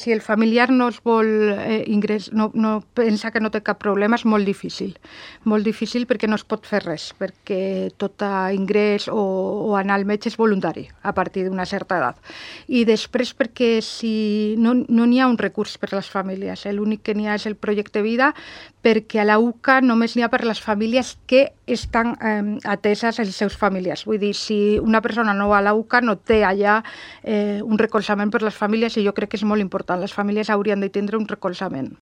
Si el familiar no es vol no pensa que no té cap problema, és molt difícil. Molt difícil perquè no es pot fer res, perquè tot ingrés o anar al metge és voluntari a partir d'una certa edat. I després perquè si no n'hi ha un recurs per a les famílies, l'únic que n'hi ha és el projecte Vida, perquè a la UCA només n'hi ha per a les famílies que estan ateses els seus familiars. Vull dir, si una persona no va a la UCA no té allà un recolzament per a les famílies i jo crec que és molt important. Les famílies haurien de tindre un recolzament.